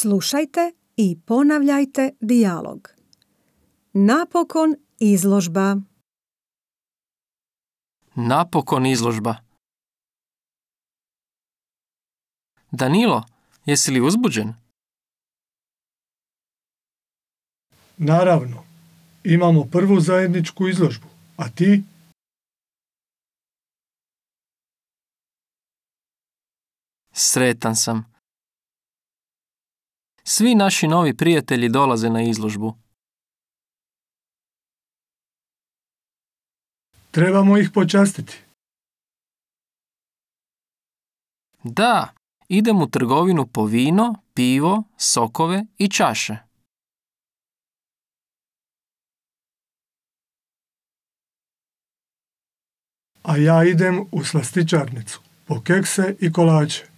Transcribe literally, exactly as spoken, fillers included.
Slušajte i ponavljajte dijalog. Napokon izložba. Napokon izložba. Danilo, jesi li uzbuđen? Naravno, imamo prvu zajedničku izložbu, a ti? Sretan sam. Svi naši novi prijatelji dolaze na izložbu. Trebamo ih počastiti. Da, idem u trgovinu po vino, pivo, sokove i čaše. A ja idem u slastičarnicu po kekse i kolače.